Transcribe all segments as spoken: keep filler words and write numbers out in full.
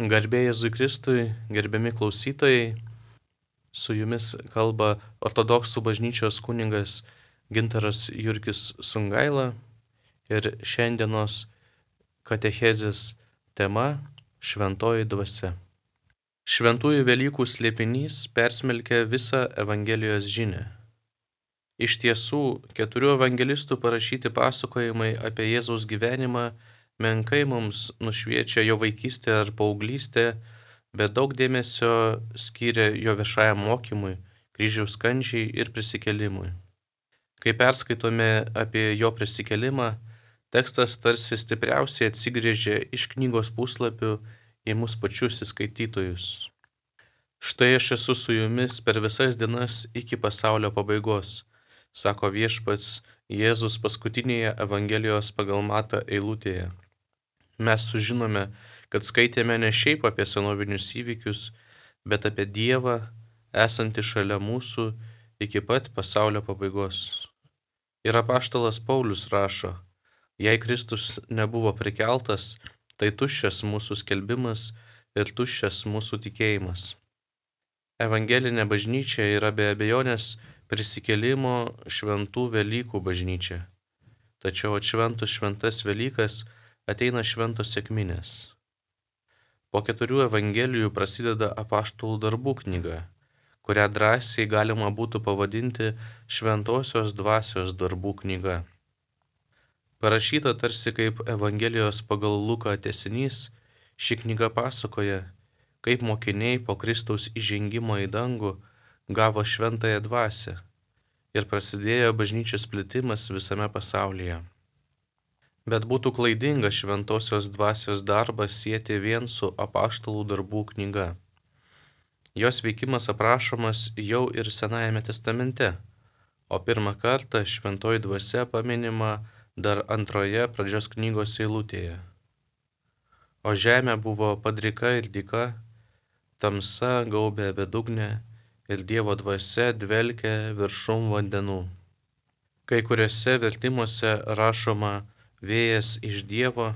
Garbė Jėzui Kristui, gerbiami klausytojai, su jumis kalba ortodoksų bažnyčios kunigas Gintaras Jurgis Sungaila ir šiandienos katechezės tema – Šventoji dvasia. Šventųjų Velykų slėpinys persmelkia visą Evangelijos žinią. Iš tiesų, keturių evangelistų parašyti pasakojimai apie Jėzaus gyvenimą menkai mums nušviečia jo vaikystę ar paauglystę, bet daug dėmesio skiria jo viešajam mokymui, kryžiaus kančiai ir prisikėlimui. Kai perskaitome apie jo prisikėlimą, tekstas tarsi stipriausiai atsigrėžia iš knygos puslapių į mus pačius įskaitytojus. Štai aš esu su jumis per visas dienas iki pasaulio pabaigos, sako viešpats Jėzus paskutinėje Evangelijos pagal Matą eilutėje. Mes sužinome, kad skaitėme ne šiaip apie senovinius įvykius, bet apie Dievą, esantį šalia mūsų iki pat pasaulio pabaigos. Ir apaštalas Paulius rašo, jei Kristus nebuvo prikeltas, tai tuščias mūsų skelbimas ir tuščias mūsų tikėjimas. Evangelinė bažnyčia yra be abejonės prisikėlimo šventų Velykų bažnyčia. Tačiau atšventus šventas Velykas ateina šventos sekminės. Po keturių evangelijų prasideda apaštalų darbų knyga, kurią drąsiai galima būtų pavadinti šventosios dvasios darbų knyga. Parašyta tarsi kaip Evangelijos pagal Luką tęsinys, ši knyga pasakoja, kaip mokiniai po Kristaus įžengimo į dangų gavo šventąją dvasią ir prasidėjo bažnyčios plitimas visame pasaulyje. Bet būtų klaidinga šventosios dvasios darbą sieti vien su apaštalų darbų knyga. Jos veikimas aprašomas jau ir Senajame testamente, o pirmą kartą šventoji dvasia paminima dar antroje pradžios knygos eilutėje. O žemė buvo padrika ir dyka, tamsa gaubė bedugnę ir Dievo dvasia dvelkė viršum vandenų. Kai kuriuose vertimuose rašoma vėjas iš Dievo,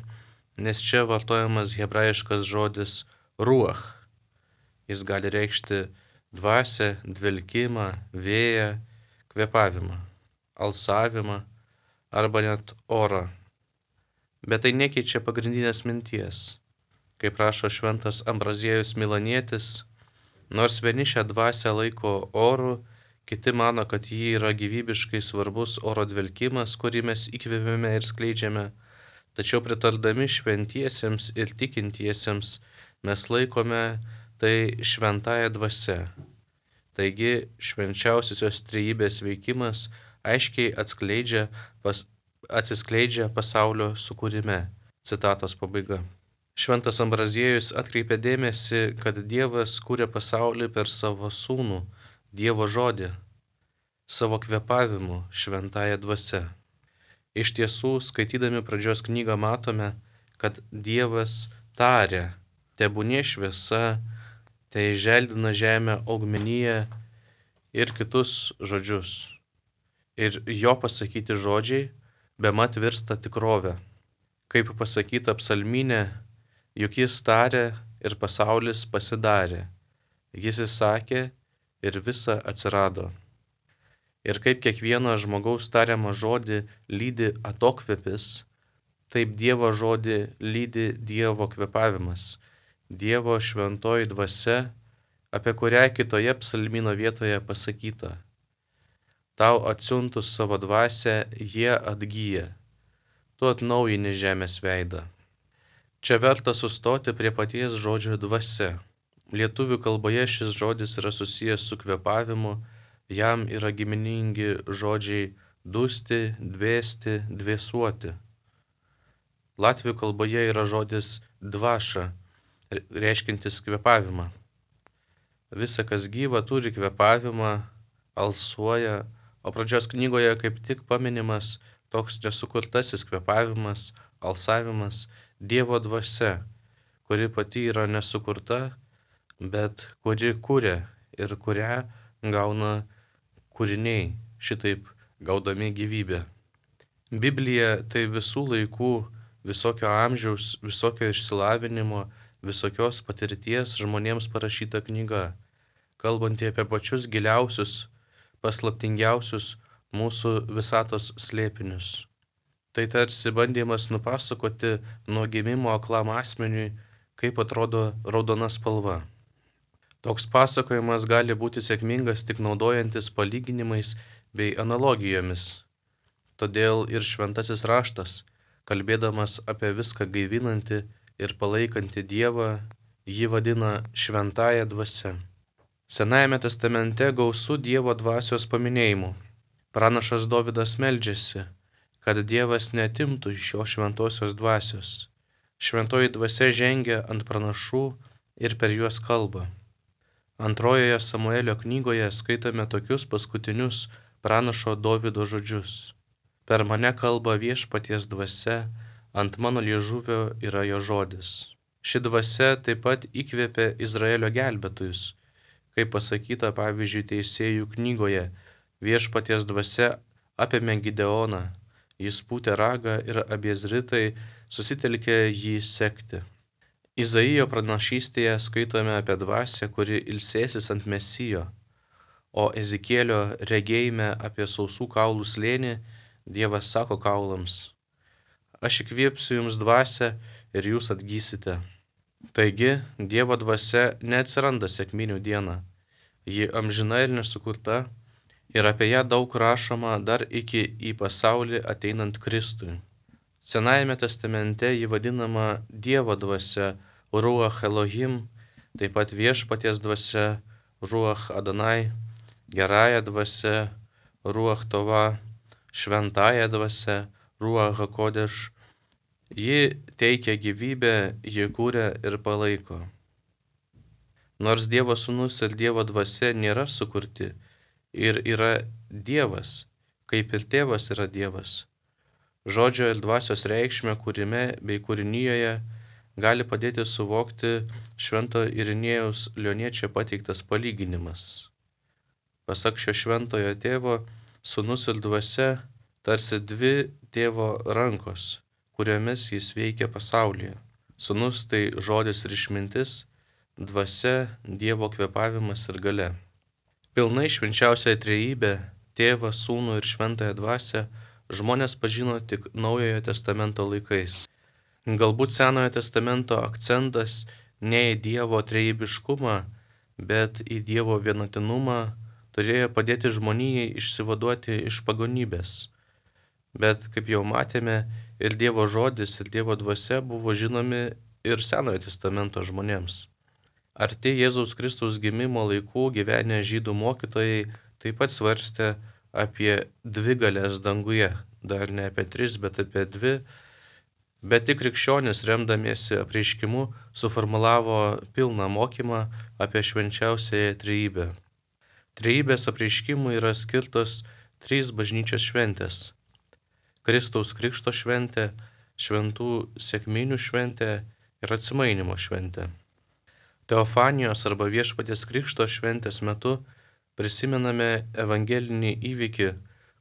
nes čia vartojamas hebrajiškas žodis ruach. Jis gali reikšti dvasią, dvelkimą, vėją, kvėpavimą, alsavimą arba net orą. Bet tai nekeičia pagrindinės minties. Kaip rašo šventas Ambraziejus Milanietis, nors vieni šią dvasią laiko oru, kiti mano, kad ji yra gyvybiškai svarbus oro dvelkimas, kurį mes įkvėpėme ir skleidžiame, tačiau pritardami šventiesiems ir tikintiesiems mes laikome tai šventąja dvasia. Taigi švenčiausiosios trejybės veikimas aiškiai atskleidžia, pas, atsiskleidžia pasaulio sukūrime. Citatos pabaiga. Šventas Ambraziejus atkreipia dėmesį, kad Dievas kūrė pasaulį per savo sūnų, Dievo žodį, savo kvėpavimu, šventąją dvasia. Iš tiesų, skaitydami pradžios knygą matome, kad Dievas tarė, tebūnie šviesa, te įželdina žemę augmeniją ir kitus žodžius. Ir jo pasakyti žodžiai bemat virsta tikrove. Kaip pasakyta psalmyne, juk jis tarė ir pasaulis pasidarė. Jis įsakė ir visa atsirado. Ir kaip kiekvieną žmogaus tariamą žodį lydi atokvėpis, taip Dievo žodį lydi Dievo kvėpavimas, Dievo šventoji dvasia, apie kurią kitoje psalmyno vietoje pasakyta. Tau atsiuntus savo dvasią, jie atgyja, tu atnaujini žemės veidą. Čia verta sustoti prie paties žodžio dvasia. Lietuvių kalboje šis žodis yra susijęs su kvėpavimu, jam yra giminingi žodžiai dusti, dvėsti, dvėsuoti. Latvių kalboje yra žodis dvaša, reiškintis kvėpavimą. Visa, kas gyva, turi kvėpavimą, alsuoja, o pradžios knygoje kaip tik paminimas toks nesukurtasis kvėpavimas, alsavimas, Dievo dvasia, kuri pati yra nesukurta, bet kuri kuria ir kurią gauna kūriniai, šitaip gaudami gyvybę. Biblija tai visų laikų, visokio amžiaus, visokio išsilavinimo, visokios patirties žmonėms parašyta knyga, kalbanti apie pačius giliausius, paslaptingiausius mūsų visatos slėpinius. Tai tarsi bandymas nupasakoti nuo gimimo aklam asmeniui, kaip atrodo raudona spalva. Toks pasakojimas gali būti sėkmingas tik naudojantis palyginimais bei analogijomis. Todėl ir šventasis raštas, kalbėdamas apie viską gaivinantį ir palaikantį Dievą, jį vadina šventąja dvasia. Senajame testamente gausu Dievo dvasios paminėjimų. Pranašas Dovydas meldžiasi, kad Dievas neatimtų iš jo šventosios dvasios. Šventoji dvasia žengia ant pranašų ir per juos kalba. Antrojoje Samuelio knygoje skaitome tokius paskutinius pranašo Dovydo žodžius. Per mane kalba viešpaties dvasia, ant mano liežuvio yra jo žodis. Ši dvasia taip pat įkvėpė Izraelio gelbėtojus, kaip pasakyta pavyzdžiui Teisėjų knygoje, viešpaties dvasia apėmė Gideoną, jis pūtė ragą ir Abiezritai susitelkė jį sekti. Izaijo pranašystėje skaitome apie dvasią, kuri ilsėsis ant Mesijo, o Ezikėlio regėjime apie sausų kaulų slėnį Dievas sako kaulams: aš įkvėpsiu jums dvasią ir jūs atgysite. Taigi, Dievo dvasia neatsiranda sekminių dieną, ji amžina ir nesukurta, ir apie ją daug rašoma dar iki į pasaulį ateinant Kristui. Senajame testamente ji vadinama Dievo dvasia, Ruach Elohim, taip pat viešpaties dvasia, Ruach Adonai, gerąja dvasia, Ruach Tova, šventąja dvasia, Ruach HaKodeš. Ji teikia gyvybę, ji kūrė ir palaiko. Nors Dievo sūnus ir Dievo dvasia nėra sukurti ir yra Dievas, kaip ir tėvas yra Dievas, žodžio ir dvasios reikšmę kūrime bei kūrinyjoje gali padėti suvokti švento Irinėjaus Lioniečio pateiktas palyginimas. Pasak šio šventojo tėvo, sūnus ir dvasia tarsi dvi tėvo rankos, kuriomis jis veikia pasaulyje. Sūnus tai žodis ir išmintis, dvasia Dievo kvėpavimas ir galia. Pilnai švenčiausiąją trejybę, tėvą, sūnų ir šventąją dvasią, žmonės pažino tik Naujojo testamento laikais. Galbūt Senojo testamento akcentas ne į Dievo trejybiškumą, bet į Dievo vienatinumą turėjo padėti žmonijai išsivaduoti iš pagonybės. Bet, kaip jau matėme, ir Dievo žodis, ir Dievo dvasia buvo žinomi ir Senojo testamento žmonėms. Arti Jėzaus Kristaus gimimo laikų gyvenę žydų mokytojai taip pat svarstė apie dvi galės danguje, dar ne apie tris, bet apie dvi, bet tik krikščionis, remdamiesi apreiškimu, suformulavo pilną mokymą apie švenčiausiąją trejybę. Trejybės apreiškimui yra skirtos trys bažnyčios šventės: Kristaus Krikšto šventė, šventų sekminių šventė ir atsimainymo šventė. Teofanijos arba Viešpaties Krikšto šventės metu prisimename evangelinį įvykį,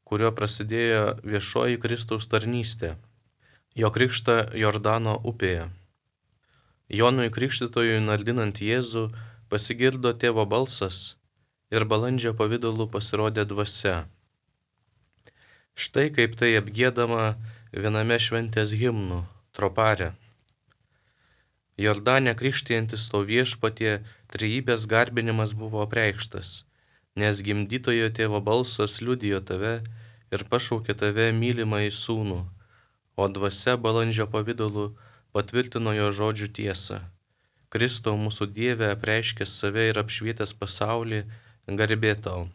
kuriuo prasidėjo viešoji Kristaus tarnystė, jo krikštą Jordano upėje. Jonui Krikštytojui nardinant Jėzų pasigirdo tėvo balsas ir balandžio pavidalu pasirodė dvasia. Štai kaip tai apgiedama viename šventės himnų tropare. Jordane krikštijantis to viešpatie trejybės garbinimas buvo apreikštas, nes gimdytojo tėvo balsas liudijo tave ir pašaukė tave mylimąjį sūnų, o dvasia balandžio pavidalu patvirtino jo žodžių tiesą. Kristau mūsų Dieve apreiškęs save ir apšvietęs pasaulį, garbė tau.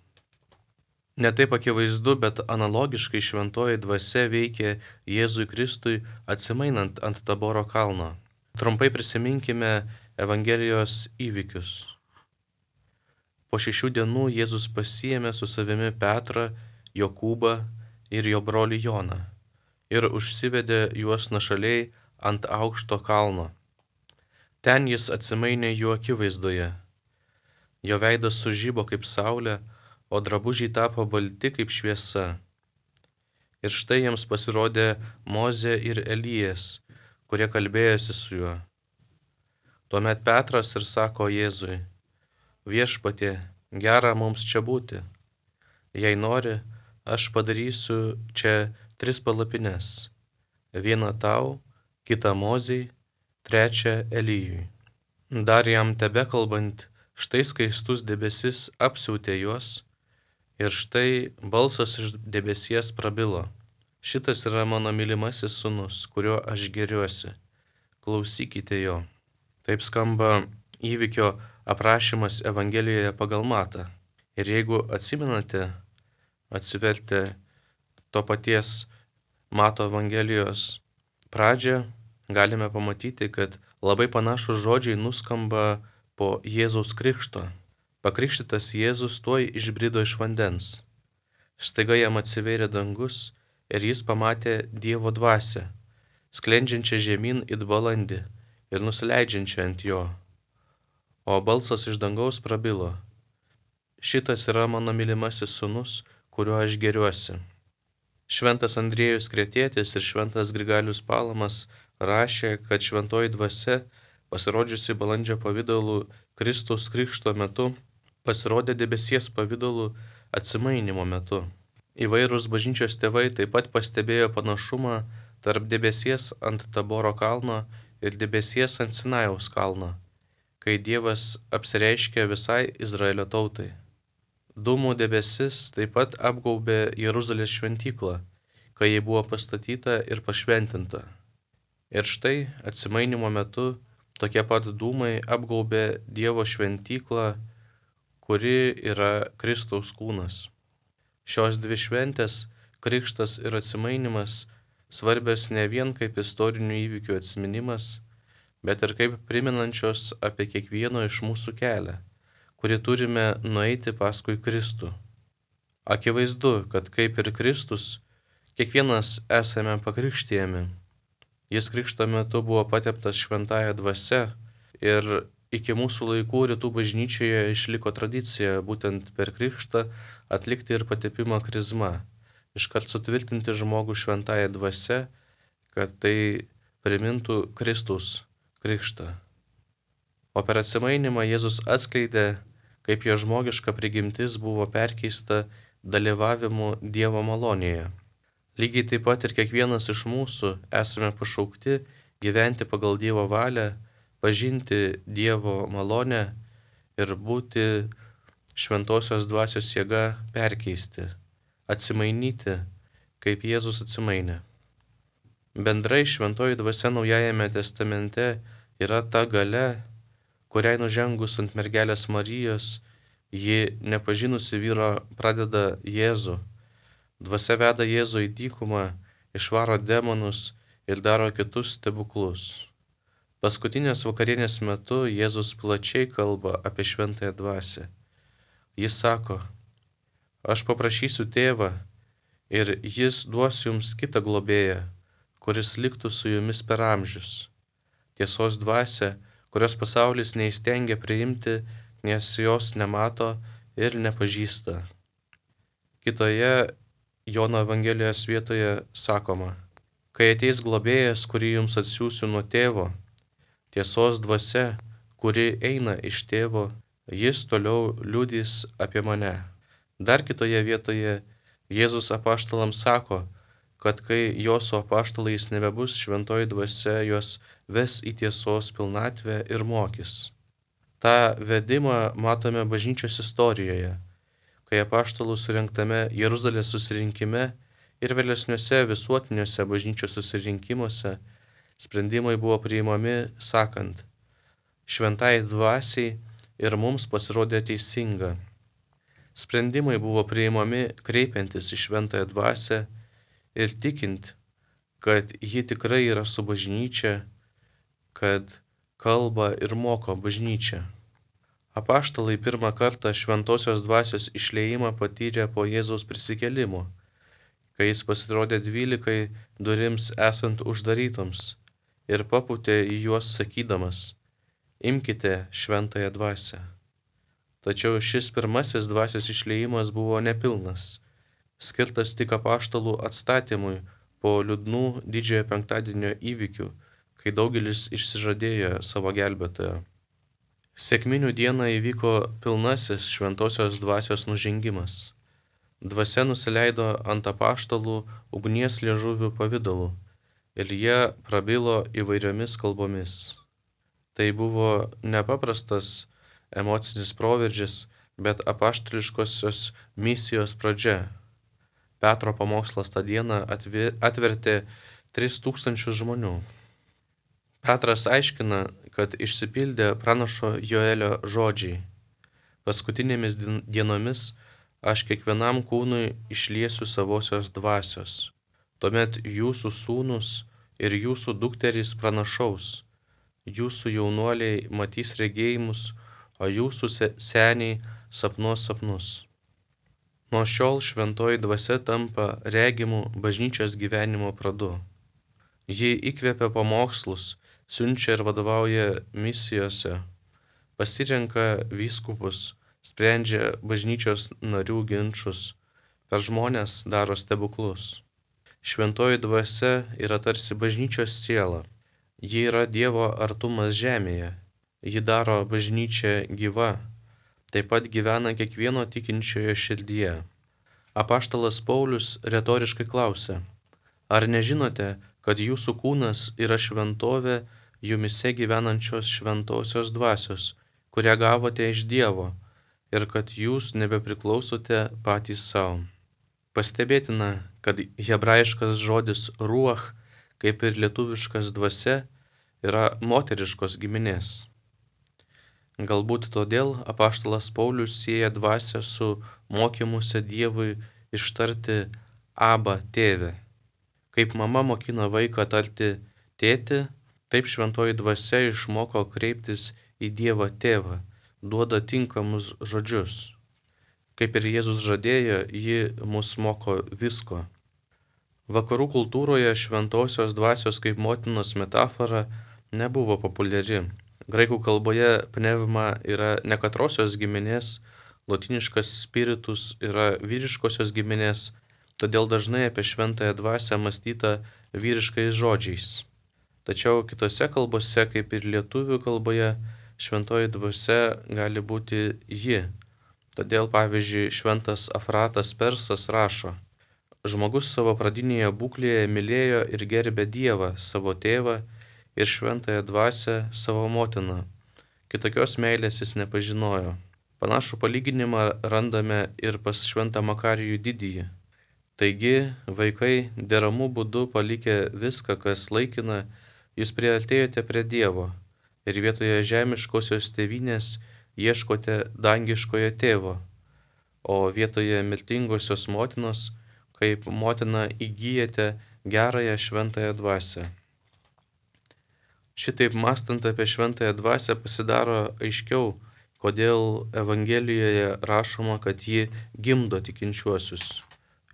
Ne taip akivaizdu, bet analogiškai šventoji dvasia veikė Jėzui Kristui atsimainant ant Taboro kalno. Trumpai prisiminkime Evangelijos įvykius. Po šešių dienų Jėzus pasiėmė su savimi Petrą, Jokūbą ir jo brolį Joną ir užsivedė juos nuošaliai ant aukšto kalno. Ten jis atsimainė jų akivaizdoje. Jo veidas sužibo kaip saulė, o drabužiai tapo balti kaip šviesa. Ir štai jiems pasirodė Mozė ir Elijas, kurie kalbėjosi su juo. Tuomet Petras ir sako Jėzui: Viešpatie, gera mums čia būti. Jei nori, aš padarysiu čia tris palapines. Vieną tau, kitą Mozei, trečią Elijui. Dar jam tebekalbant, štai skaistus debesis apsiautė juos, ir štai balsas iš debesies prabilo: Šitas yra mano mylimasis sūnus, kuriuo aš gėriuosi. Klausykite jo. Taip skamba įvykio aprašymas Evangelijoje pagal Matą. Ir jeigu atsimenate, atsivertę to paties Mato Evangelijos pradžią, galime pamatyti, kad labai panašus žodžiai nuskamba po Jėzaus krikšto. Pakrikštytas Jėzus tuoj išbrido iš vandens. Staiga jam atsivėrė dangus ir jis pamatė Dievo dvasią, sklendžiančią žemyn it balandį ir nusileidžiančią ant jo. O balsas iš dangaus prabilo: Šitas yra mano mylimasis sūnus, kuriuo aš gėriuosi. Šventas Andriejus Kretietis ir šventas Grigalius Palamas rašė, kad šventoji dvasia, pasirodžiusi balandžio pavidalu Kristaus krikšto metu, pasirodė debesies pavidalu atsimainymo metu. Įvairūs bažnyčios tėvai taip pat pastebėjo panašumą tarp debesies ant Taboro kalno ir debesies ant Sinajaus kalno, kai Dievas apsireiškė visai Izraelio tautai. Dūmų debesis taip pat apgaubė Jeruzalės šventyklą, kai ji buvo pastatyta ir pašventinta. Ir štai atsimainymo metu tokie pat dūmai apgaubė Dievo šventyklą, kuri yra Kristaus kūnas. Šios dvi šventės, krikštas ir atsimainimas, svarbios ne vien kaip istorinių įvykių atsiminimas, bet ir kaip priminančios apie kiekvieno iš mūsų kelią, kurį turime nueiti paskui Kristų. Akivaizdu, kad kaip ir Kristus, kiekvienas esame pakrikštijami. Jis krikšto metu buvo pateptas šventąja dvasia ir iki mūsų laikų rytų bažnyčioje išliko tradicija būtent per krikštą atlikti ir patepimą krizma, iškart sutvirtinti žmogų šventąja dvasia, kad tai primintų Kristaus krikštą. O per atsimainymą Jėzus atskleidė, kaip jo žmogiška prigimtis buvo perkeista dalyvavimu Dievo malonėje. Lygiai taip pat ir kiekvienas iš mūsų esame pašaukti gyventi pagal Dievo valią, pažinti Dievo malonę ir būti šventosios dvasios jėga perkeisti, atsimainyti, kaip Jėzus atsimainė. Bendrai šventoji dvasia Naujajame testamente yra ta galia, kuriai nužengus ant mergelės Marijos, ji nepažinusi vyro pradeda Jėzų. Dvasia veda Jėzų į dykumą, išvaro demonus ir daro kitus stebuklus. Paskutinės vakarienės metu Jėzus plačiai kalba apie šventąją dvasią. Jis sako: Aš paprašysiu tėvą ir jis duos jums kitą globėją, kuris liktų su jumis per amžius. Tiesos dvasia, kurios pasaulis neįstengia priimti, nes jos nemato ir nepažįsta. Kitoje Jono Evangelijos vietoje sakoma: Kai ateis globėjas, kurį jums atsiųsiu nuo tėvo, tiesos dvasia, kuri eina iš tėvo, jis toliau liudys apie mane. Dar kitoje vietoje Jėzus apaštalams sako, kad kai jo su apaštalais nebebus, šventoji dvasia juos ves į tiesos pilnatvę ir mokys. Ta vedimą matome bažnyčios istorijoje, kai apaštalų surengtame Jeruzalės susirinkime ir vėlesniuose visuotiniuose bažnyčios susirinkimuose sprendimai buvo priimami sakant: Šventai dvasiai ir mums pasirodė teisinga. Sprendimai buvo priimami kreipiantis į šventąją dvasią ir tikint, kad ji tikrai yra su bažnyčia, kad kalba ir moko bažnyčia. Apaštalai pirmą kartą šventosios dvasios išliejimą patyrė po Jėzaus prisikėlimo, kai jis pasirodė dvylikai durims esant uždarytoms ir papūtė į juos sakydamas: Imkite šventąją dvasią. Tačiau šis pirmasis dvasios išliejimas buvo nepilnas, skirtas tik apaštalų atstatymui po liūdnų didžiojo penktadienio įvykių, kai daugelis išsižadėjo savo gelbėtojo. Sekminių dieną įvyko pilnasis šventosios dvasios nužengimas. Dvasia nusileido ant apaštalų ugnies liežuvių pavidalu ir jie prabilo įvairiomis kalbomis. Tai buvo nepaprastas emocinis proveržis, bet apaštališkosios misijos pradžia. Petro pamokslas tą dieną atvertė tris tūkstančius žmonių. Petras aiškina, kad išsipildė pranašo Joelio žodžiai. Paskutinėmis dienomis aš kiekvienam kūnui išliesiu savosios dvasios. Tuomet jūsų sūnus ir jūsų dukterys pranašaus, jūsų jaunuoliai matys regėjimus, o jūsų seniai sapnuos sapnus. Nuo šiol šventoji dvasia tampa regimų bažnyčios gyvenimo pradu. Ji įkvepia pamokslus, siunčia ir vadovauja misijose, pasirenka vyskupus, sprendžia bažnyčios narių ginčus, per žmones daro stebuklus. Šventoji dvasia yra tarsi bažnyčios siela. Ji yra Dievo artumas žemėje. Ji daro bažnyčią gyva. Taip pat gyvena kiekvieno tikinčiojo širdyje. Apaštalas Paulius retoriškai klausia: ar nežinote, kad jūsų kūnas yra šventovė jumise gyvenančios šventosios dvasios, kurią gavote iš Dievo, ir kad jūs nebepriklausote patys savo? Pastebėtina, kad hebrajiškas žodis ruach, kaip ir lietuviškas dvasia, yra moteriškos giminės. Galbūt todėl apaštalas Paulius sieja dvasią su mokymuose Dievui ištarti Aba tėve. Kaip mama mokina vaiką tarti tėti, taip šventoji dvasia išmoko kreiptis į Dievą tėvą, duoda tinkamus žodžius. Kaip ir Jėzus žadėjo, ji mus moko visko. Vakarų kultūroje šventosios dvasios kaip motinos metafora nebuvo populiari. Graikų kalboje pneuma yra nekatrosios giminės, lotyniškas spiritus yra vyriškosios giminės, todėl dažnai apie šventąją dvasią mąstyta vyriškais žodžiais. Tačiau kitose kalbose, kaip ir lietuvių kalboje, šventoji dvasia gali būti ji. Todėl, pavyzdžiui, šventas Afratas Persas rašo: žmogus savo pradinėje būklėje mylėjo ir gerbė Dievą, savo tėvą, ir šventąją dvasią savo motiną. Kitokios meilės jis nepažinojo. Panašų palyginimą randame ir pas šventą Makarijų didįjį. Taigi, vaikai, deramų būdu palikę viską, kas laikina, jūs priartėjote prie Dievo ir vietoje žemiškosios tėvynės ieškote dangiškojo tėvo, o vietoje mirtingosios motinos, kaip motina įgyjate gerąją šventąją dvasią. Šitaip mąstant apie šventąją dvasią pasidaro aiškiau, kodėl Evangelijoje rašoma, kad ji gimdo tikinčiuosius.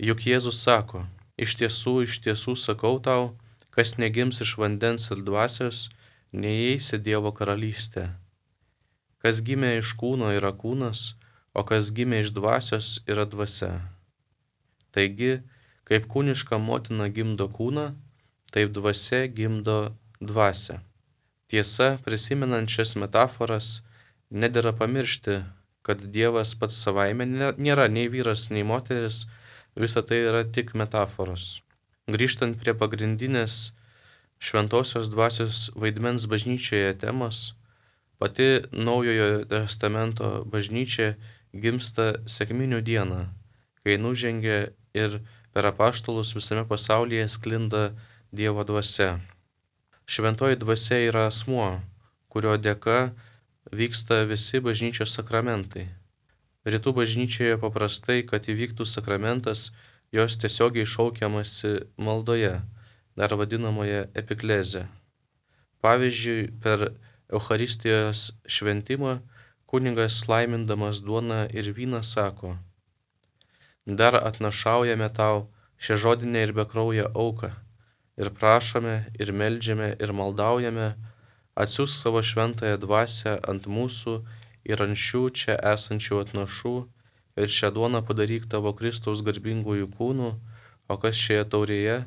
Juk Jėzus sako: iš tiesų, iš tiesų sakau tau, kas negims iš vandens ir dvasios, neįeis į Dievo karalystę. Kas gimė iš kūno yra kūnas, o kas gimė iš dvasios yra dvasia. Taigi, kaip kūniška motina gimdo kūną, taip dvasia gimdo dvasią. Tiesa, prisimenant šias metaforas, nedera pamiršti, kad Dievas pats savaime nėra nei vyras, nei moteris, visa tai yra tik metaforos. Grįžtant prie pagrindinės šventosios dvasios vaidmens bažnyčioje temos, pati Naujojo testamento bažnyčia gimsta sekminių dieną, kai nužengia ir per apaštalus visame pasaulyje sklinda Dievo dvasia. Šventoji dvasia yra asmuo, kurio dėka vyksta visi bažnyčios sakramentai. Rytų bažnyčioje paprastai, kad įvyktų sakramentas, jos tiesiogiai šaukiamasi maldoje, dar vadinamoje epikleze. Pavyzdžiui, per Eucharistijos šventimą kunigas laimindamas duoną ir vyną sako: dar atnašaujame tau šią žodinę ir bekrauję auką, ir prašome, ir meldžiame, ir maldaujame, atsiųsk savo šventąją dvasią ant mūsų ir ant šių čia esančių atnašų, ir šią duoną padaryk tavo Kristaus garbingųjų kūnų, o kas šioje taurėje,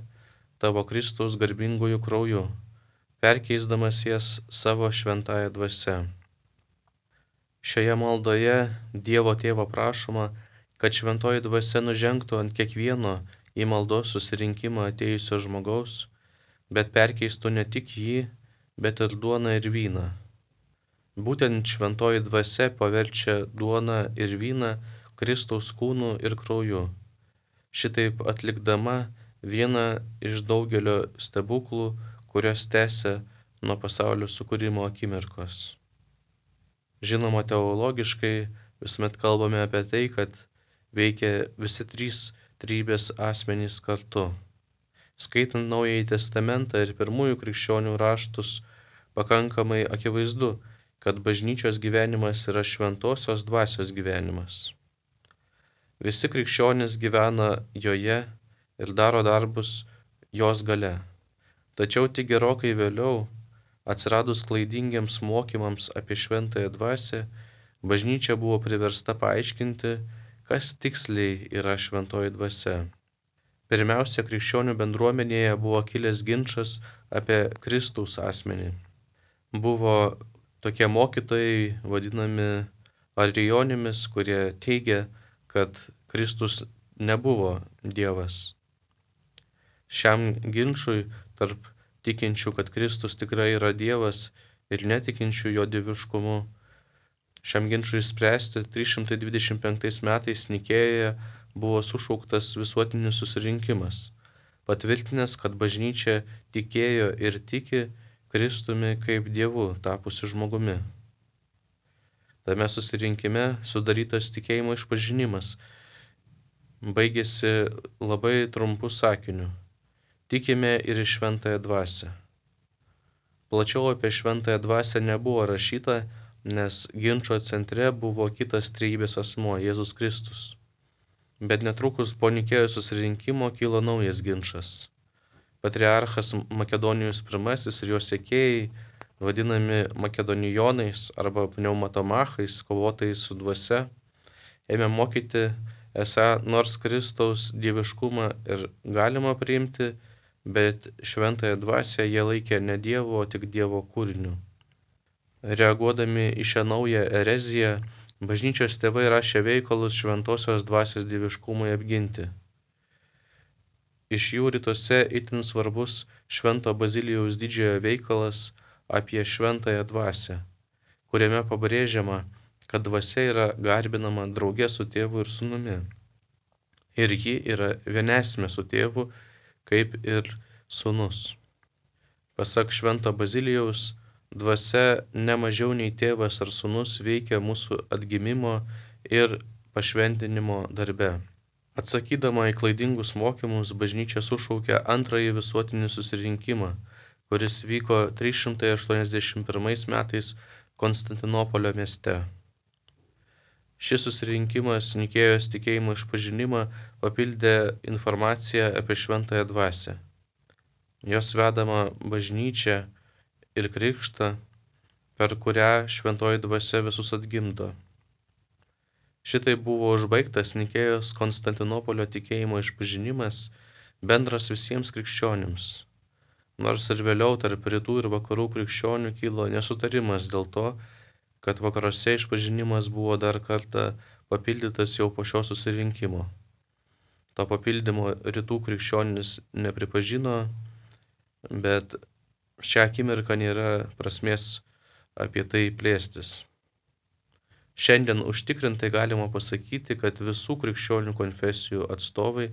tavo Kristaus garbingųjų krauju. perkeisdamas jas savo šventąją dvasią. Šioje maldoje Dievo Tėvo prašoma, kad šventoji dvasia nužengtų ant kiekvieno į maldos susirinkimą atėjusio žmogaus, bet perkeistų ne tik jį, bet ir duoną ir vyną. Būtent šventoji dvasia paverčia duoną ir vyną Kristaus kūnu ir krauju, šitaip atlikdama vieną iš daugelio stebuklų, kurios tęsia nuo pasaulio sukūrimo akimirkos. Žinoma, teologiškai visuomet kalbame apie tai, kad veikia visi trys trybės asmenys kartu. Skaitant Naująjį Testamentą ir pirmųjų krikščionių raštus, pakankamai akivaizdu, kad bažnyčios gyvenimas yra šventosios dvasios gyvenimas. Visi krikščionys gyvena joje ir daro darbus jos gale. Tačiau tik gerokai vėliau, atsiradus klaidingiems mokymams apie šventąją dvasią, bažnyčia buvo priversta paaiškinti, kas tiksliai yra šventoji dvasia. Pirmiausia, krikščionių bendruomenėje buvo kilęs ginčas apie Kristaus asmenį. Buvo tokie mokytojai, vadinami arijonimis, kurie teigia, kad Kristus nebuvo Dievas. Šiam ginčui tarp tikinčių, kad Kristus tikrai yra Dievas ir netikinčių jo dieviškumu, šiam ginčui spręsti trys šimtai dvidešimt penktais metais Nikėjoje buvo sušauktas visuotinis susirinkimas, patvirtinęs, kad bažnyčia tikėjo ir tiki Kristumi kaip Dievu tapusiu žmogumi. Tame susirinkime sudarytas tikėjimo išpažinimas baigėsi labai trumpu sakiniu: tikime ir į šventąją dvasią. Plačiau apie šventąją dvasią nebuvo rašyta, nes ginčo centre buvo kitas trejybės asmuo, Jėzus Kristus. Bet netrukus po Nikėjos susirinkimo kilo naujas ginčas. Patriarchas Makedonijus pirmasis ir jo sekėjai, vadinami makedonijonais arba pneumatomachais, kovotojais su dvasia, ėmė mokyti, esą nors Kristaus dieviškumą ir galima priimti, bet šventąją dvasią jie laikė ne Dievo, o tik Dievo kūriniu. Reaguodami į šią naują ereziją, bažnyčios tėvai rašė veikalus šventosios dvasios dieviškumui apginti. Iš jų rytuose itin svarbus Švento Bazilijaus didžiojo veikalas apie šventąją dvasią, kuriame pabrėžiama, kad dvasia yra garbinama drauge su tėvu ir sūnumi. Ir ji yra vienesmė su tėvu, kaip ir sūnus. Pasak Švento Bazilijaus, dvasia ne mažiau nei tėvas ar sūnus veikia mūsų atgimimo ir pašventinimo darbe. Atsakydama į klaidingus mokymus, bažnyčia sušaukė antrąjį visuotinį susirinkimą, kuris vyko trys šimtai aštuoniasdešimt pirmais metais Konstantinopolio mieste. Šis susirinkimas Nikėjos tikėjimo išpažinimą papildė informaciją apie šventąją dvasią, jos vedama bažnyčią ir krikštą, per kurią šventoji dvasia visus atgimdo. Šitai buvo užbaigtas Nikėjos Konstantinopolio tikėjimo išpažinimas, bendras visiems krikščionims. Nors ir vėliau tarp rytų ir vakarų krikščionių kilo nesutarimas dėl to, kad vakaruose išpažinimas buvo dar kartą papildytas jau po šio susirinkimo. To papildymo rytų krikščionys nepripažino, bet šią akimirką nėra prasmės apie tai plėstis. Šiandien užtikrintai galima pasakyti, kad visų krikščionių konfesijų atstovai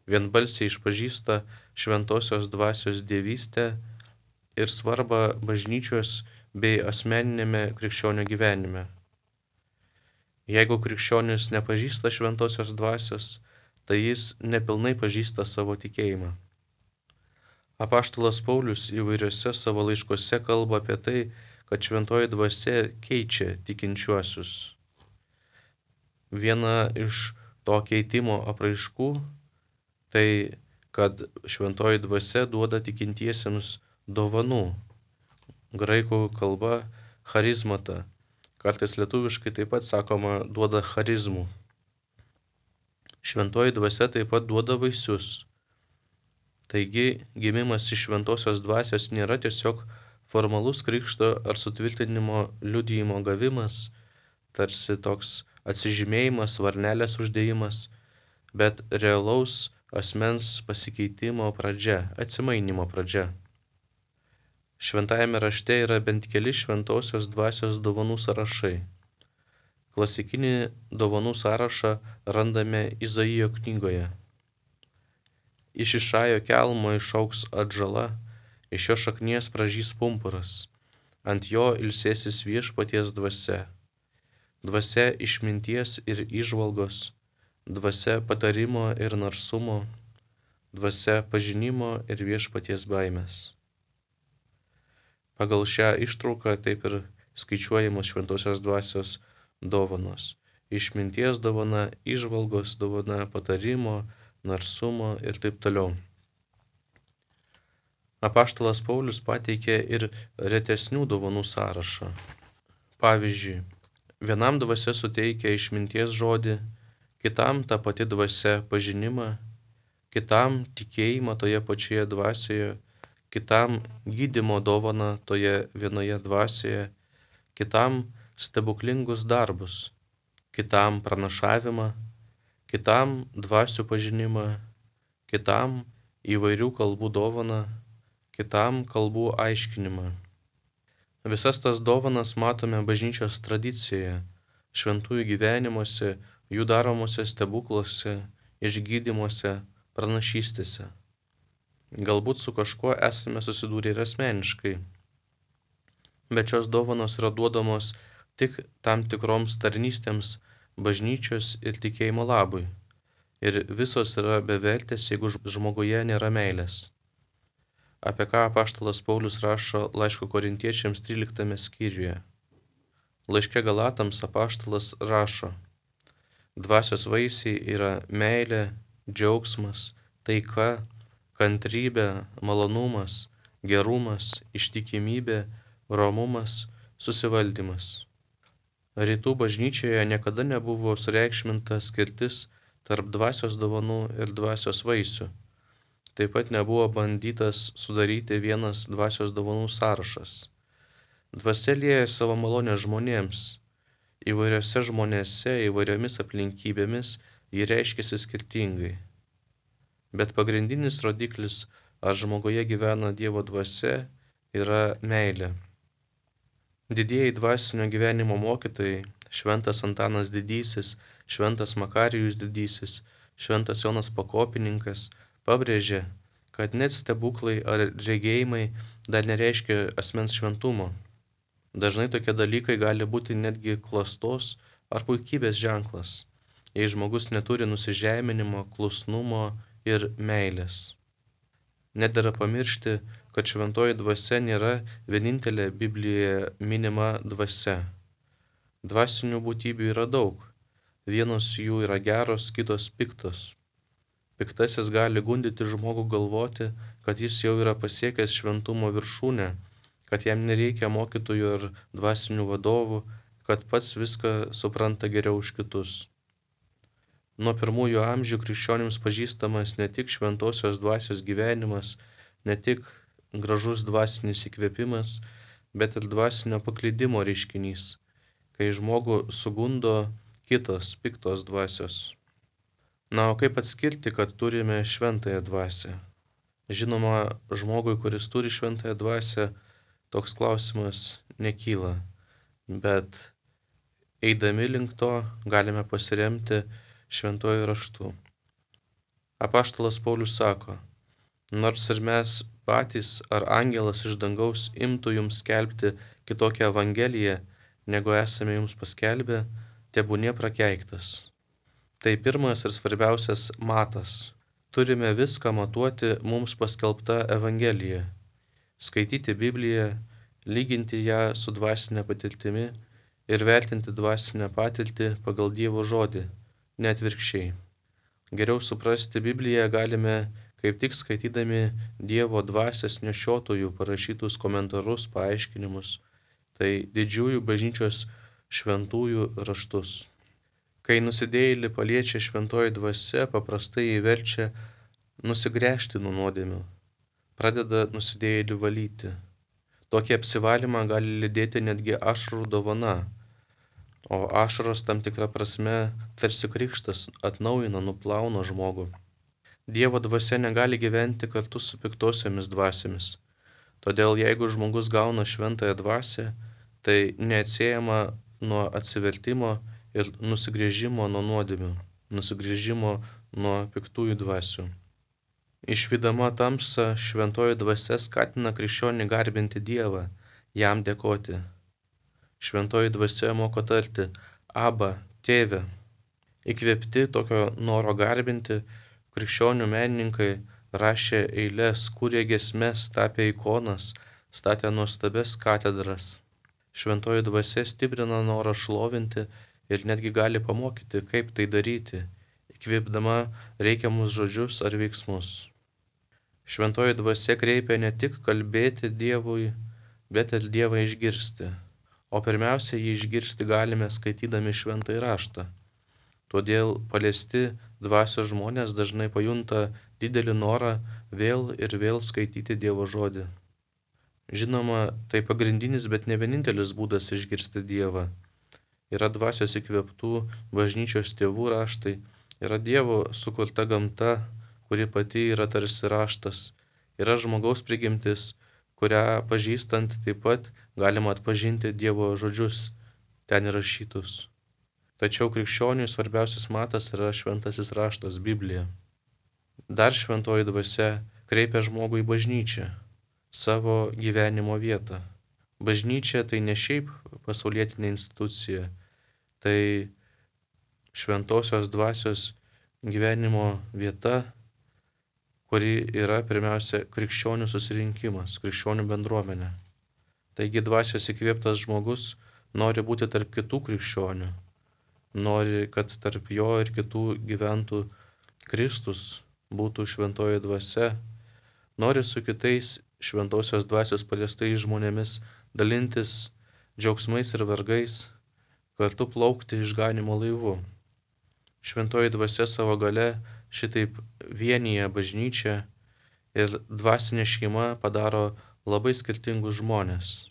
vienbalsiai išpažįsta šventosios dvasios dievystę ir svarbą bažnyčios bei asmeninėme krikščionio gyvenime. Jeigu krikščionis nepažįsta šventosios dvasios, tai jis nepilnai pažįsta savo tikėjimą. Apaštalas Paulius įvairiuose savo laiškuose kalba apie tai, kad šventoji dvasia keičia tikinčiuosius. Viena iš to keitimo apraiškų tai, kad šventoji dvasia duoda tikintiesiems dovanų. Graikų kalba charizmata, kartais lietuviškai taip pat sakoma duoda charizmų. Šventoji dvasia taip pat duoda vaisius. Taigi, gimimas iš šventosios dvasios nėra tiesiog Formalus krikšto ar sutvirtinimo liudijimo gavimas, tarsi toks atsižymėjimas, varnelės uždėjimas, bet realaus asmens pasikeitimo pradžia, atsimainimo pradžia. Šventajame rašte yra bent keli šventosios dvasios dovanų sąrašai. Klasikinį dovanų sąrašą randame Izaijo knygoje. Iš Išajo kelmo išaugs atžala, iš jo šaknies pražys pumpuras, ant jo ilsėsis viešpaties dvasia. Dvasia išminties ir įžvalgos, dvasia patarimo ir narsumo, dvasia pažinimo ir viešpaties baimės. Pagal šią ištrauką taip ir skaičiuojamos šventosios dvasios dovanos. Išminties dovana, įžvalgos dovana, patarimo, narsumo ir taip toliau. Apaštalas Paulius pateikė ir retesnių dovanų sąrašą. Pavyzdžiui, vienam dvasia suteikia išminties žodį, kitam ta pati dvasia pažinimą, kitam tikėjimą toje pačioje dvasioje, kitam gydymo dovaną toje vienoje dvasioje, kitam stebuklingus darbus, kitam pranašavimą, kitam dvasių pažinimą, kitam įvairių kalbų dovaną, kitam kalbų aiškinimą. Visas tas dovanas matome bažnyčios tradicijoje, šventųjų gyvenimuose, jų daromose stebukluose, išgydymuose, pranašystėse. Galbūt su kažkuo esame susidūrę ir asmeniškai, bet šios dovanos yra duodamos tik tam tikroms tarnystėms bažnyčios ir tikėjimo labui, ir visos yra bevertės, jeigu žmoguje nėra meilės. Apie ką apaštalas Paulius rašo laiško Korintiečiams tryliktame skyriuje. Laiške Galatams apaštalas rašo: dvasios vaisiai yra meilė, džiaugsmas, taika, kantrybė, malonumas, gerumas, ištikimybė, romumas, susivaldymas. Rytų bažnyčioje niekada nebuvo sureikšminta skirtis tarp dvasios dovanų ir dvasios vaisių. Taip pat nebuvo bandytas sudaryti vienas dvasios dovanų sąrašas. Dvasia lieja savo malonę žmonėms. Įvairiose žmonėse, įvairiomis aplinkybėmis ji reiškiasi skirtingai. Bet pagrindinis rodiklis, ar žmoguje gyvena Dievo dvasia, yra meilė. Didieji dvasinio gyvenimo mokytojai, šventas Antanas Didysis, šventas Makarijus Didysis, šventas Jonas Pakopininkas, pabrėžė, kad net stebuklai ar regėjimai dar nereiškia asmens šventumo. Dažnai tokie dalykai gali būti netgi klastos ar puikybės ženklas, jei žmogus neturi nusižeminimo, klusnumo ir meilės. Nedera pamiršti, kad šventoji dvasia nėra vienintelė Biblijoje minima dvasia. Dvasinių būtybių yra daug. Vienos jų yra geros, kitos piktos. Piktasis gali gundyti žmogų galvoti, kad jis jau yra pasiekęs šventumo viršūnę, kad jam nereikia mokytojų ar dvasinių vadovų, kad pats viską supranta geriau už kitus. Nuo pirmųjų amžių krikščionims pažįstamas ne tik šventosios dvasios gyvenimas, ne tik gražus dvasinis įkvėpimas, bet ir dvasinio paklydimo reiškinys, kai žmogų sugundo kitos piktos dvasios. Na, o kaip atskirti, kad turime šventąją dvasią? Žinoma, žmogui, kuris turi šventąją dvasią, toks klausimas nekyla, bet eidami link to galime pasiremti šventuoju raštu. Apaštalas Paulius sako: nors ir mes patys ar angelas iš dangaus imtų jums skelbti kitokią evangeliją, negu esame jums paskelbę, tebūnie prakeiktas. Tai pirmas ir svarbiausias matas. Turime viską matuoti mums paskelbta evangelija. Skaityti Bibliją, lyginti ją su dvasinė patirtimi ir vertinti dvasinę patirtį pagal Dievo žodį, ne atvirkščiai. Geriau suprasti Bibliją galime kaip tik skaitydami Dievo dvasios nešiotojų parašytus komentarus, paaiškinimus, tai didžiųjų bažnyčios šventųjų raštus. Kai nusidėjėlį paliečia šventoji dvasia, paprastai jį verčia nusigręžti nuo nuodėmių, pradeda nusidėjėlį valyti. Tokį apsivalymą gali lydėti netgi ašarų dovana, o ašaros tam tikrą prasme tarsi krikštas atnaujina, nuplauna žmogų. Dievo dvasia negali gyventi kartu su piktosiomis dvasiamis. Todėl jeigu žmogus gauna šventąją dvasią, tai neatsiejama nuo atsivertimo ir nusigręžimo nuo nuodėmių, nusigręžimo nuo piktųjų dvasių. Išvydama tamsą, šventoji dvasia skatina krikščionį garbinti Dievą, jam dėkoti. Šventoji dvasia moko tarti Aba, tėve. Įkvėpti tokio noro garbinti, krikščionių menininkai rašė eiles, kūrė giesmes, tapė ikonas, statė nuostabias katedras. Šventoji dvasia stiprina norą šlovinti ir netgi gali pamokyti, kaip tai daryti, įkvėpdama reikiamus žodžius ar veiksmus. Šventoji dvasia kreipia ne tik kalbėti Dievui, bet ir Dievą išgirsti. O pirmiausia, jį išgirsti galime skaitydami šventąjį raštą. Todėl paliesti dvasios žmonės dažnai pajunta didelį norą vėl ir vėl skaityti Dievo žodį. Žinoma, tai pagrindinis, bet ne vienintelis būdas išgirsti Dievą. Yra dvasios įkvėptų bažnyčios tėvų raštai, yra Dievo sukurta gamta, kuri pati yra tarsi raštas, yra žmogaus prigimtis, kurią pažįstant taip pat galima atpažinti Dievo žodžius ten įrašytus. Tačiau krikščioniui svarbiausias matas yra šventasis raštas, Biblija. Dar šventoji dvasia kreipia žmogų į bažnyčią, savo gyvenimo vietą. Bažnyčia tai ne šiaip pasaulietinė institucija, tai šventosios dvasios gyvenimo vieta, kuri yra pirmiausia krikščionių susirinkimas, krikščionių bendruomenė. Taigi dvasios įkvėptas žmogus nori būti tarp kitų krikščionių, nori, kad tarp jo ir kitų gyventų Kristus, būtų šventoji dvasia, nori su kitais šventosios dvasios paliestais žmonėmis dalintis džiaugsmais ir vargais, kartu plaukti išganymo laivu. Šventoji dvasia savo gale šitaip vienyje bažnyčią ir dvasinė šeima padaro labai skirtingus žmonės.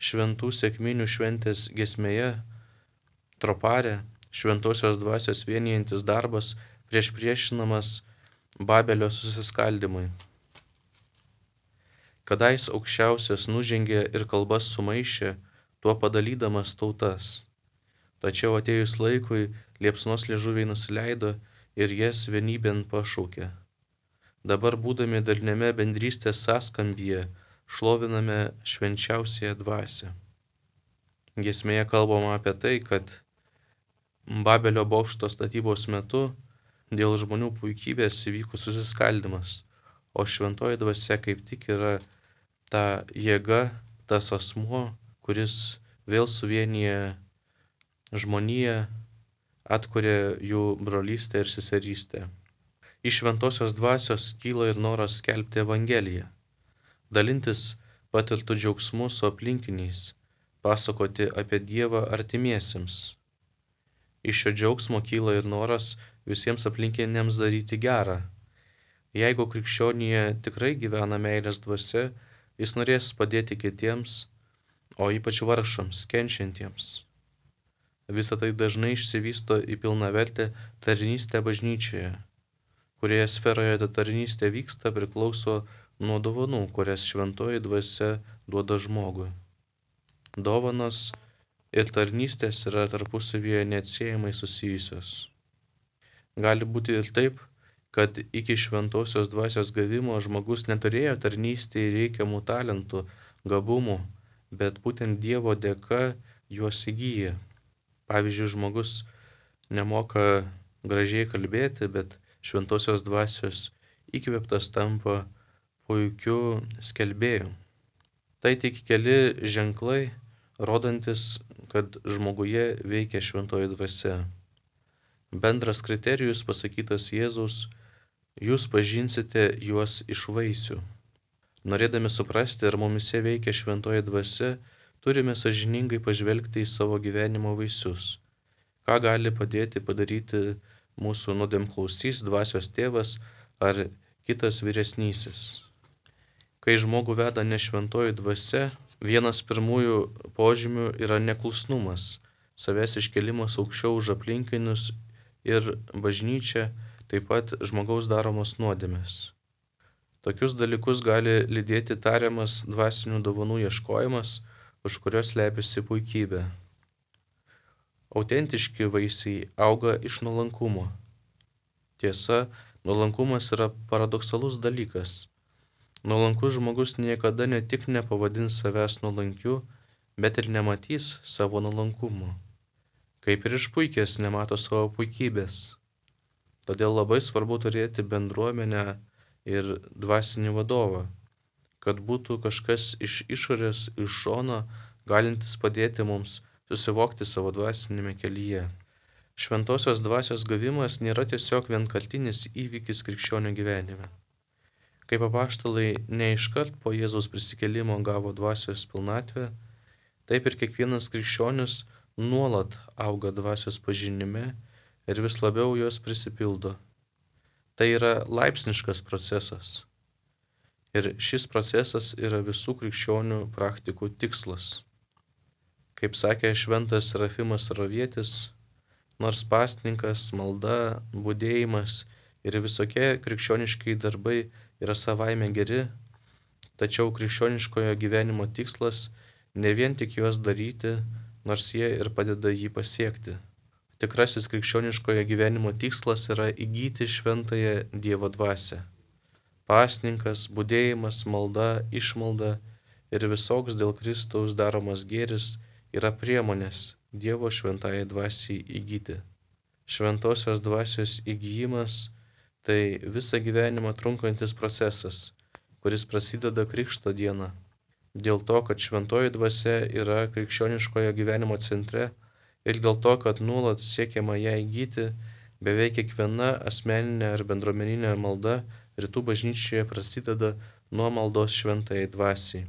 Šventų sekminių šventės giesmėje Tropare šventosios dvasios vienijantis darbas prieš priešinamas Babelio susiskaldimui. Kadais aukščiausias nužengė ir kalbas sumaišė, tuo padalydamas tautas. Tačiau atėjus laikui liepsnos liežuviai nusileido ir jas vienybėn pašaukė. Dabar būdami dalinėme bendrystės sąskambyje, šloviname švenčiausiąją dvasią. Giesmėje kalbama apie tai, kad Babelio bokšto statybos metu dėl žmonių puikybės įvyko susiskaldimas, o šventoji dvasia kaip tik yra ta jėga, tas asmuo, kuris vėl suvienyje žmoniją, atkuria jų brolystę ir seserystę. Iš šventosios dvasios kyla ir noras skelbti Evangeliją, dalintis patirtų džiaugsmų su aplinkiniais, pasakoti apie Dievą artimiesiems. Iš šio džiaugsmo kyla ir noras visiems aplinkiniams daryti gerą. Jeigu krikščionėje tikrai gyvena meilės dvasia, jis norės padėti kitiems, o ypač vargšams, kenčiantiems. Visa tai dažnai išsivysto į pilnavertę tarnystę bažnyčioje, kurioje sferoje ta tarnystė vyksta, priklauso nuo dovanų, kurias šventoji dvasia duoda žmogui. Dovanos ir tarnystės yra tarpusavyje neatsiejamai susijusios. Gali būti ir taip, kad iki šventosios dvasios gavimo žmogus neturėjo tarnystėje reikiamų talentų, gabumų, bet būtent Dievo dėka juos įgyja. Pavyzdžiui, žmogus nemoka gražiai kalbėti, bet šventosios dvasios įkvėptas tampa puikiu skelbėju. Tai tik keli ženklai, rodantis, kad žmoguje veikia šventoji dvasia. Bendras kriterijus pasakytas Jėzaus: jūs pažinsite juos iš vaisių. Norėdami suprasti, ar mumise veikia šventoji dvasia, turime sąžiningai pažvelgti į savo gyvenimo vaisius. Ką gali padėti padaryti mūsų nuodėmklausys, dvasios tėvas ar kitas vyresnysis. Kai žmogų veda nešventoji dvasia, vienas pirmųjų požymių yra neklusnumas, savęs iškelimas aukščiau už aplinkinius ir bažnyčia, taip pat žmogaus daromos nuodėmės. Tokius dalykus gali lydėti tariamas dvasinių dovanų ieškojimas, už kurios slepiasi puikybė. Autentiški vaisiai auga iš nuolankumo. Tiesa, nuolankumas yra paradoksalus dalykas. Nuolankus žmogus niekada ne tik nepavadins savęs nuolankiu, bet ir nematys savo nuolankumo. Kaip ir išpuikęs nemato savo puikybės. Todėl labai svarbu turėti bendruomenę ir dvasinį vadovą, kad būtų kažkas iš išorės, iš šono, galintis padėti mums susivokti savo dvasinėme kelyje. Šventosios dvasios gavimas nėra tiesiog vienkartinis įvykis krikščionio gyvenime. Kaip apaštalai ne iškart po Jėzaus prisikėlimo gavo dvasios pilnatvę, taip ir kiekvienas krikščionis nuolat auga dvasios pažinime ir vis labiau jos prisipildo. Tai yra laipsniškas procesas. Ir šis procesas yra visų krikščionių praktikų tikslas. Kaip sakė šventas Serafimas Rovietis, nors pasninkas, malda, budėjimas ir visokie krikščioniškai darbai yra savaime geri, tačiau krikščioniškojo gyvenimo tikslas ne vien tik juos daryti, nors jie ir padeda jį pasiekti. Tikrasis krikščioniškojo gyvenimo tikslas yra įgyti šventąją Dievo dvasią. Pasninkas, budėjimas, malda, išmalda ir visoks dėl Kristaus daromas gėris yra priemonės Dievo šventąjai dvasiai įgyti. Šventosios dvasios įgijimas tai visą gyvenimą trunkantis procesas, kuris prasideda Krikšto dieną. Dėl to, kad šventoji dvasia yra krikščioniškojo gyvenimo centre ir dėl to, kad nuolat siekiama ją įgyti, beveik kiekviena asmeninė ar bendruomeninė malda rytų bažnyčioje prasideda nuo maldos šventajai dvasiai.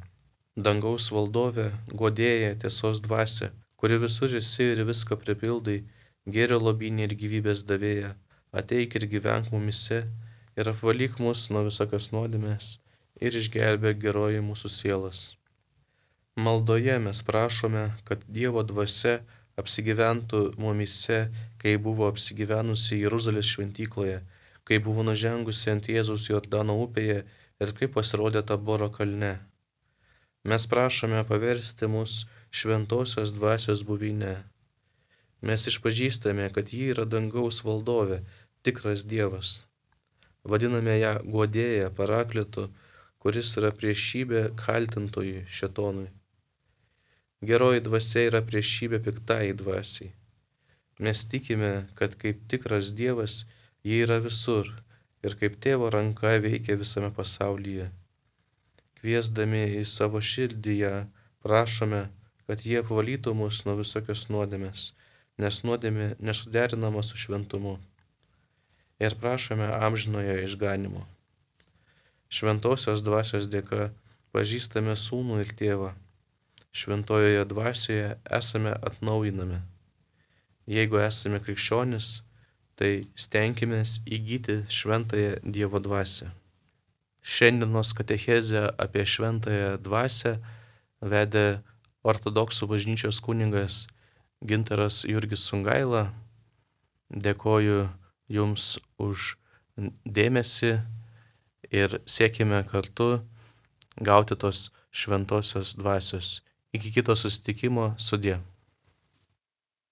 Dangaus valdove, guodėja, tiesos dvasia, kuri visur esi ir viską pripildai, gėrio lobynė ir gyvybės davėja, ateik ir gyvenk mumise ir apvalyk mus nuo visokios nuodėmės ir išgelbėk geroji mūsų sielas. Maldoje mes prašome, kad Dievo dvasia apsigyventų mumise, kai buvo apsigyvenusi Jeruzalės šventykloje, kai buvo nužengusi ant Jėzaus Jordano upėje ir kai pasirodė Taboro kalne. Mes prašome paversti mus šventosios dvasios buveinę. Mes išpažįstame, kad ji yra dangaus valdovė, tikras Dievas. Vadiname ją guodėja, parakletu, kuris yra priešybė kaltintojui šėtonui. Geroji dvasia yra priešybė piktai dvasiai. Mes tikime, kad kaip tikras Dievas ji yra visur ir kaip tėvo ranka veikia visame pasaulyje. Kviesdami į savo širdį ją, prašome, kad jie apvalytų mus nuo visokios nuodėmės, nes nuodėmė nesuderinama su šventumu. Ir prašome amžinojo išganimo. Šventosios dvasios dėka pažįstame Sūnų ir Tėvą. Šventojoje dvasioje esame atnaujinami. Jeigu esame krikščionis, tai stenkimės įgyti šventąją Dievo dvasią. Šiandienos katechezę apie šventąją dvasią vedė ortodoksų bažnyčios kunigas Gintaras Jurgis Sungaila. Dėkoju Jums už dėmesį ir siekime kartu gauti tos šventosios dvasios. Iki kito susitikimo, sudie.